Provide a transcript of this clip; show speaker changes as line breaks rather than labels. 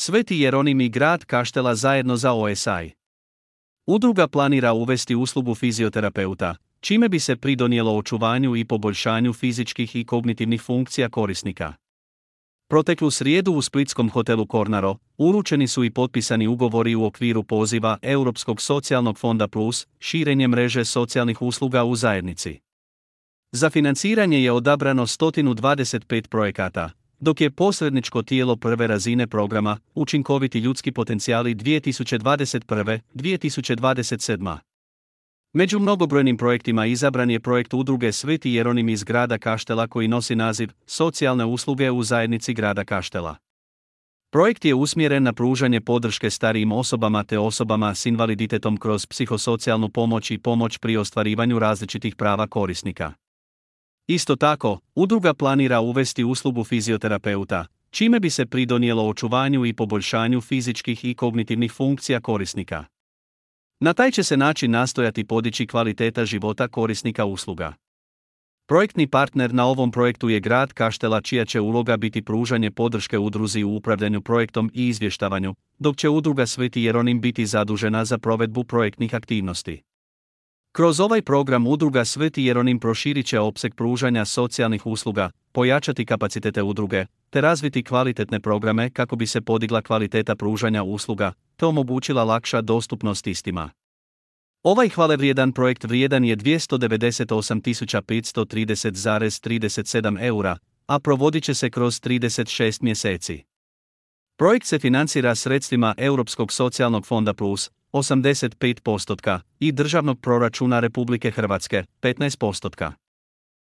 Sveti Jeronim i grad Kaštela zajedno za OSI. Udruga planira uvesti uslugu fizioterapeuta, čime bi se pridonijelo očuvanju i poboljšanju fizičkih i kognitivnih funkcija korisnika. Proteklu srijedu u splitskom hotelu Kornaro uručeni su i potpisani ugovori u okviru poziva Europskog socijalnog fonda Plus, širenje mreže socijalnih usluga u zajednici. Za financiranje je odabrano 125 projekata, dok je posredničko tijelo prve razine programa Učinkoviti ljudski potencijali 2021-2027. Među mnogobrojnim projektima izabran je projekt udruge Sveti Jeronim iz grada Kaštela koji nosi naziv Socijalne usluge u zajednici grada Kaštela. Projekt je usmjeren na pružanje podrške starijim osobama te osobama s invaliditetom kroz psihosocijalnu pomoć i pomoć pri ostvarivanju različitih prava korisnika. Isto tako, udruga planira uvesti uslugu fizioterapeuta, čime bi se pridonijelo očuvanju i poboljšanju fizičkih i kognitivnih funkcija korisnika. Na taj će se način nastojati podići kvaliteta života korisnika usluga. Projektni partner na ovom projektu je grad Kaštela čija će uloga biti pružanje podrške udruzi u upravljanju projektom i izvještavanju, dok će udruga Sveti Jeronim biti zadužena za provedbu projektnih aktivnosti. Kroz ovaj program udruga Sveti Jeronim proširit će opseg pružanja socijalnih usluga, pojačati kapacitete udruge, te razviti kvalitetne programe kako bi se podigla kvaliteta pružanja usluga, te omogućila lakša dostupnost istima. Ovaj hvalevrijedan projekt vrijedan je 298.530,37 eura, a provodit će se kroz 36 mjeseci. Projekt se financira sredstvima Europskog socijalnog fonda Plus, 85% i državnog proračuna Republike Hrvatske, 15%.